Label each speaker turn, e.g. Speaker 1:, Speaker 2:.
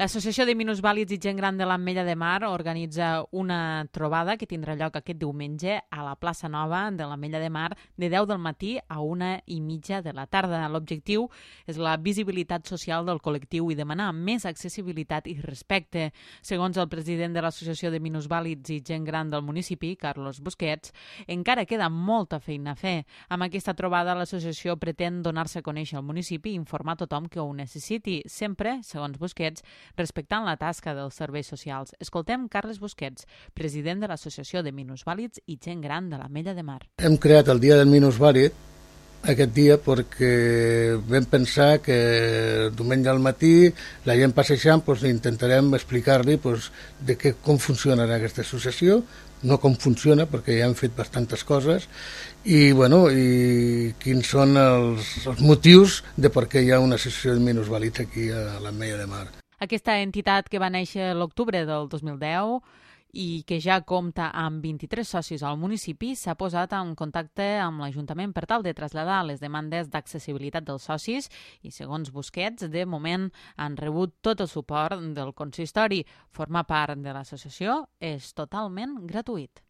Speaker 1: L'Associació de Minusvàlids i Gent Gran de l'Ametlla de Mar organitza una trobada que tindrà lloc aquest diumenge a la plaça Nova de l'Ametlla de Mar de 10 del matí a 1:30 de la tarda. L'objectiu és la visibilitat social del col·lectiu i demanar més accessibilitat i respecte. Segons el president de l'Associació de Minusvàlids i Gent Gran del municipi, Carlos Busquets, encara queda molta feina a fer. Amb aquesta trobada, l'associació pretén donar-se a conèixer al municipi i informar tothom que ho necessiti, sempre, segons Busquets, respectant la tasca dels serveis socials. Escoltem Carles Busquets, president de l'Associació de Minusvàlids i Gent Gran de l'Ametlla de Mar.
Speaker 2: Hem creat el Dia del Minusvàlid aquest dia perquè vam pensar que diumenge al matí la gent passejant intentarem explicar-li com funciona aquesta associació, no com funciona perquè ja hem fet bastantes coses i quins són els motius de per què hi ha una associació de minusvàlids aquí a l'Ametlla de Mar.
Speaker 1: Aquesta entitat que va néixer l'octubre del 2010 i que ja compta amb 23 socis al municipi s'ha posat en contacte amb l'Ajuntament per tal de traslladar les demandes d'accessibilitat dels socis i, segons Busquets, de moment han rebut tot el suport del consistori. Formar part de l'associació és totalment gratuït.